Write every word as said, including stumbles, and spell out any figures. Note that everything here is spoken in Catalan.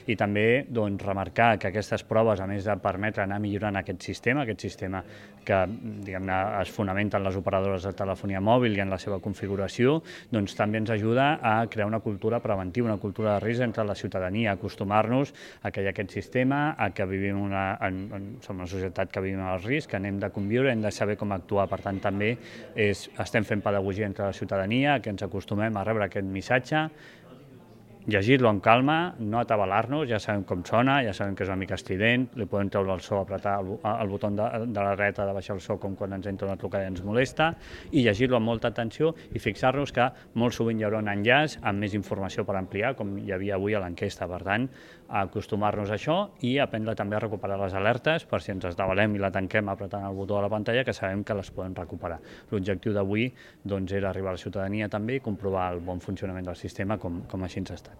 i també doncs, remarcar que aquestes proves, a més de permetre anar millorant aquest sistema, aquest sistema que diguem-ne es fonamenta en les operadores de telefonia mòbil i en la seva configuració, doncs també ens ajuda a crear una cultura preventiva, una cultura de risc entre la ciutadania, acostumar-nos a que hi ha aquest sistema, a que vivim una, en, en, som una societat que vivim al risc, que anem de conviure, hem de saber com actuar. Per tant, també és, estem fent pedagogia entre la ciutadania, que ens acostumem a rebre aquest missatge, llegir-lo amb calma, no atabalar-nos, ja sabem com sona, ja sabem que és una mica estrident, li podem treure el so, apretar el, el botó de, de la dreta de baixar el so com quan ens entra una trucada i ens molesta, i llegir-lo amb molta atenció i fixar-nos que molt sovint hi haurà un enllaç amb més informació per ampliar, com hi havia avui a l'enquesta. Per tant, acostumar-nos a això i aprendre també a recuperar les alertes per si ens esdavalem i la tanquem apretant el botó de la pantalla, que sabem que les podem recuperar. L'objectiu d'avui doncs, era arribar a la ciutadania també i comprovar el bon funcionament del sistema com, com així ens està.